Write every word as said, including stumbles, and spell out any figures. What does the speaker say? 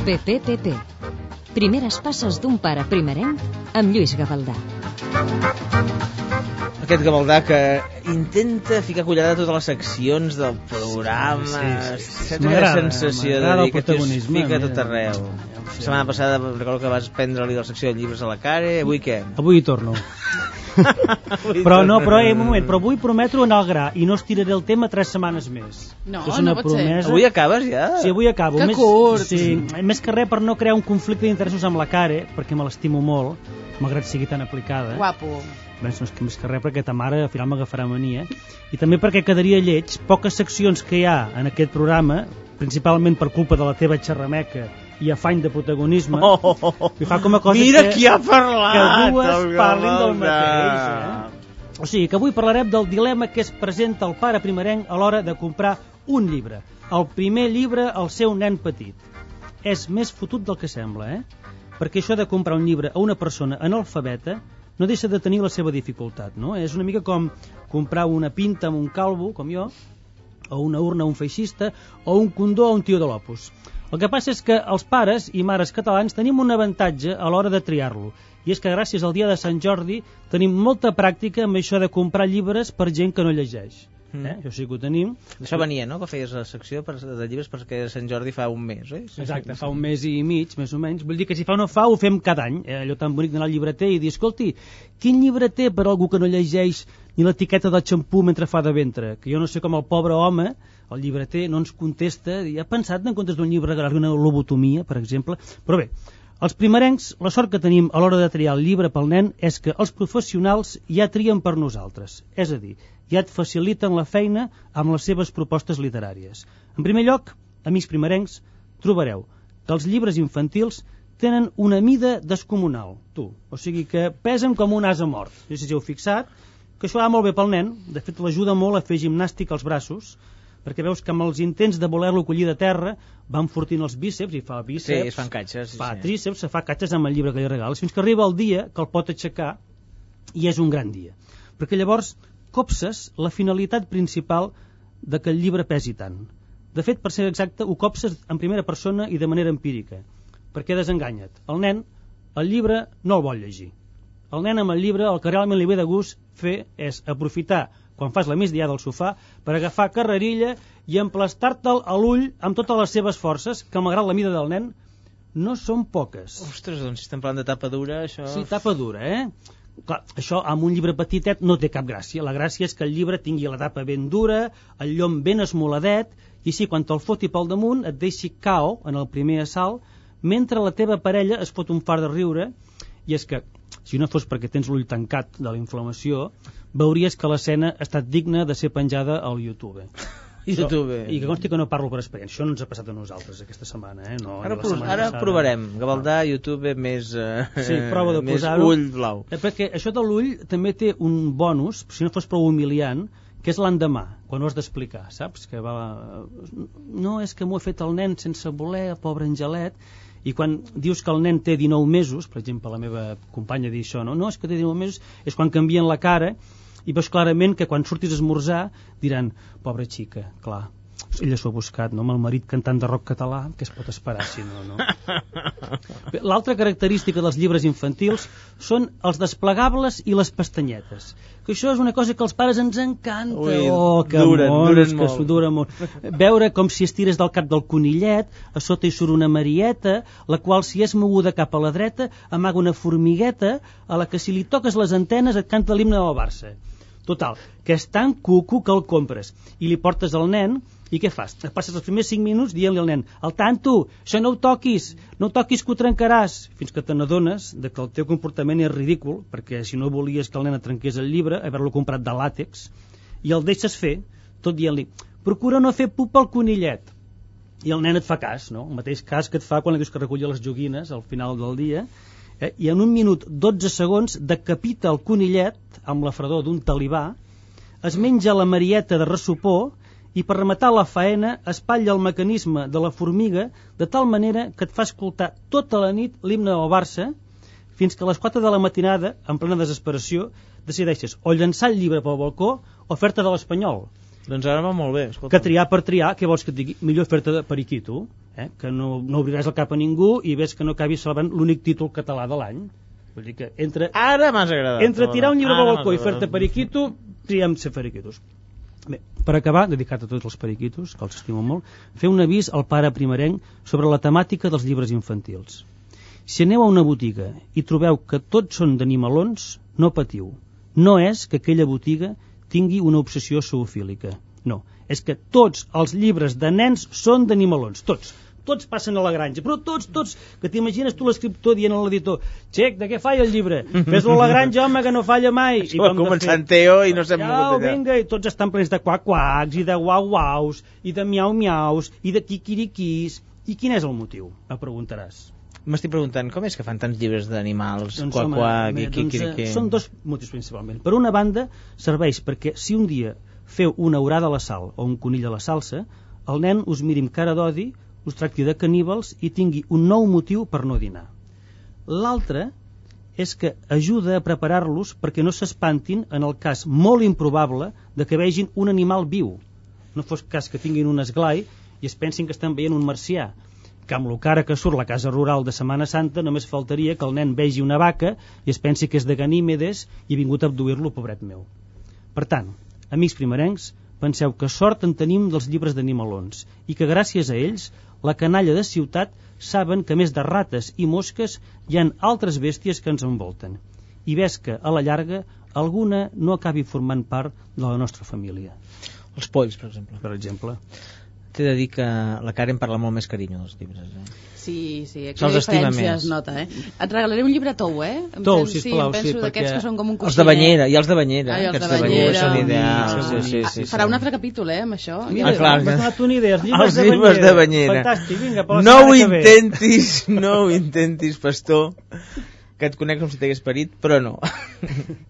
P P P P. Primeres passes d'un pare primerenc amb Lluís Gavaldà. Aquest Gavaldà que intenta ficar collada a totes les seccions del programa. Sí, sí, sí. Sempre la sensació de dir que tu es fica tot arreu. Ja, La setmana passada recordo que vas prendre-li la secció de llibres a la cara. Avui què? Avui hi torno. Però no, però, eh, un moment, però avui prometo anar al gra i no estiraré el tema tres setmanes més. No, és una no pot promesa. ser. Avui acabes ja? Sí, avui acabo. Que més, curt. Sí, més que res per no crear un conflicte d'interessos amb la Care, perquè me l'estimo molt, malgrat sigui tan aplicada. Guapo. Bé, no és que més que res perquè ta mare al final m'agafarà mania. I també perquè quedaria lleig poques seccions que hi ha en aquest programa, principalment per culpa de la teva xerrameca i afany de protagonisme, Oh, oh, oh. i fa com a cosa Mira que, qui ha parlat! que dues el parlin del Gavaldà. mateix. Eh? O sigui, que avui parlarem del dilema que es presenta al pare primerenc a l'hora de comprar un llibre. El primer llibre al seu nen petit. És més fotut del que sembla, eh? Perquè això de comprar un llibre a una persona analfabeta no deixa de tenir la seva dificultat, no? És una mica com comprar una pinta amb un calvo, com jo, o una urna a un feixista, o un condó a un tio de l'Opus. El que passa és que els pares i mares catalans tenim un avantatge a l'hora de triar-lo, i és que gràcies al dia de Sant Jordi tenim molta pràctica amb això de comprar llibres per gent que no llegeix. Mm. Eh? Això sí que ho tenim. Això venia, no?, que feies la secció per, de llibres perquè Sant Jordi fa un mes, eh? Sí, Exacte, sí, fa un mes i mig, més o menys. Vull dir que si fa o no fa, ho fem cada any. Eh? Allò tan bonic d'anar al llibreter i dir, escolti, quin llibre té per algú que no llegeix ni l'etiqueta del xampú mentre fa de ventre? Que jo no sé com el pobre home, el llibreter, no ens contesta. I ha pensat en comptes d'un llibre regalar una lobotomia, per exemple? Però bé, els primerencs, la sort que tenim a l'hora de triar el llibre pel nen és que els professionals ja trien per nosaltres. És a dir, ja et faciliten la feina amb les seves propostes literàries. En primer lloc, amics primerencs, trobareu que els llibres infantils tenen una mida descomunal, tu. O sigui que pesen com un ase mort. No sé si heu fixat, que això va molt bé pel nen. De fet, l'ajuda molt a fer gimnàstica als braços, perquè veus que amb els intents de voler-lo collir de terra va enfortint els bíceps, i fa bíceps, Sí, es fan catxes. Sí, fa sí. tríceps, se fa catxes amb el llibre que li regales, fins que arriba el dia que el pot aixecar i és un gran dia. Perquè llavors copses la finalitat principal de que el llibre pesi tant. De fet, per ser exacte, ho copses en primera persona i de manera empírica. Perquè desenganya't. El nen, el llibre no el vol llegir. El nen amb el llibre, el que realment li ve de gust fer és aprofitar quan fas la migdiada al sofà per agafar carrerilla i emplastar-te'l a l'ull amb totes les seves forces, que malgrat la mida del nen no són poques. Ostres, doncs si estem parlant de tapa dura, això... Sí, tapa dura, eh? Clar, això amb un llibre petitet no té cap gràcia. La gràcia és que el llibre tingui la tapa ben dura, el llom ben esmoladet, i així quan te'l foti pel damunt et deixi cao en el primer assalt, mentre la teva parella es fot un fart de riure. I és que, si no fos perquè tens l'ull tancat de la inflamació, veuries que l'escena ha estat digna de ser penjada al YouTube. YouTube. I que consti que no parlo per experiència. Això no ens ha passat a nosaltres aquesta setmana, eh? No, Ara, la pro setmana ara passada. provarem. Gavaldà, YouTube, més, eh, Sí, prova de més posar-ho. ull blau. Eh, perquè això de l'ull també té un bonus, si no fos prou humiliant, que és l'endemà, quan ho has d'explicar, saps? Que va... No, és que m'ho ha fet el nen sense voler, pobre angelet, i quan dius que el nen té dinou mesos, per exemple, la meva companya diu això, no, no, és que té dinou mesos, és quan canvien la cara, i veus clarament que quan surtis a esmorzar diran, pobra xica, clar, ella s'ho ha buscat, no? Amb el marit cantant de rock català, què es pot esperar si no, no? L'altra característica dels llibres infantils són els desplegables i les pestanyetes, que això és una cosa que als pares ens encanta. Ui, oh, que duren, monos, duren que molt. s'ho dura molt. Veure com si estires del cap del conillet, a sota hi surt una marieta, la qual si és moguda cap a la dreta amaga una formigueta, a la que si li toques les antenes et canta l'himne del Barça. Total, que és tan cuco que el compres i li portes al nen. I què fas? Et passes els primers cinc minuts dient-li al nen, al tanto, això no ho toquis, no ho toquis que ho trencaràs, fins que te n'adones de que el teu comportament és ridícul, perquè si no volies que el nen et trenqués el llibre, haver-lo comprat de làtex, i el deixes fer, tot dient-li, procura no fer pupa al conillet. I el nen et fa cas, no? El mateix cas que et fa quan li dius que recollia les joguines al final del dia, eh? I en un minut dotze segons decapita el conillet amb la fredor d'un talibà, es menja la marieta de ressupor i per rematar la faena espatlla el mecanisme de la formiga de tal manera que et fa escoltar tota la nit l'himne del Barça fins que a les quatre de la matinada, en plena desesperació, decideixes o llançar el llibre pel balcó o fer-te de l'Espanyol. Doncs ara va molt bé, escolta. Que triar per triar, què vols que et digui? Millor fer-te de periquito, eh? Que no, no obriràs el cap a ningú i ves que no acabis celebrant l'únic títol català de l'any. Vull dir que entre, ara m'has agradat. Entre tirar un llibre al balcó i fer-te periquito, triem ser periquitos. Bé, per acabar, dedicat a tots els periquitos, que els estimo molt, fer un avís al pare primerenc sobre la temàtica dels llibres infantils. Si aneu a una botiga i trobeu que tots són d'animalons, no patiu. No és que aquella botiga tingui una obsessió zoofílica. No, és que tots els llibres de nens són d'animalons, tots. Tots passen a la granja, però tots, tots, que t'imagines tu l'escriptor dient a l'editor: Xec, de què falla el llibre? Fes-lo a la granja, home, que no falla mai. I va començar en Teo i no s'ha mogut allà. Vinga, i tots estan plens de quac-quacs, i de guau-guaus, i de miau-miaus, i de quiquiriquis. I quin és el motiu? Me preguntaràs. M'estic preguntant, com és que fan tants llibres d'animals, doncs, quac-quac i doncs, quiquiriqui? Són dos motius principalment. Per una banda, serveix perquè si un dia feu una orada a la sal o un conill a la salsa, el nen us miri amb cara d'odi, us tracti de caníbals i tingui un nou motiu per no dinar. L'altre és que ajuda a preparar-los perquè no s'espantin en el cas molt improbable de que vegin un animal viu. No fos cas que tinguin un esglai i es pensin que estan veient un marcià, que amb lo cara que surt la casa rural de Setmana Santa només faltaria que el nen vegi una vaca i es pensi que és de Ganímedes i ha vingut a abduir-lo, pobret meu. Per tant, amics primerencs, penseu que sort en tenim dels llibres d'animalons i que gràcies a ells la canalla de ciutat saben que a més de rates i mosques hi han altres bèsties que ens envolten. I ves que, a la llarga, alguna no acabi formant part de la nostra família. Els polls, per exemple. Per exemple. T'he de dir que la Karen parla molt més carinyo dels llibres. Eh? Sí, sí, aquí se'ls la estima diferència més. es nota, eh? Et regalaré un llibre tou, eh? Em Tou, pen- sisplau, sí, em penso sí, d'aquests perquè que són com un Els coixinet. de banyera, i els de banyera. Ai, els Aquests de banyera. són ideals. Sí, Sí, sí, sí, Farà sí. un altre capítol, eh, amb això. Mira, Ah, clar, m'has ja. donat una idea, els llibres, Els de, llibres banyera. de banyera. Fantàstic, vinga, per la No ho setmana que ve. intentis, no ho intentis, pastor, que et conec com si t'hagués parit, però no.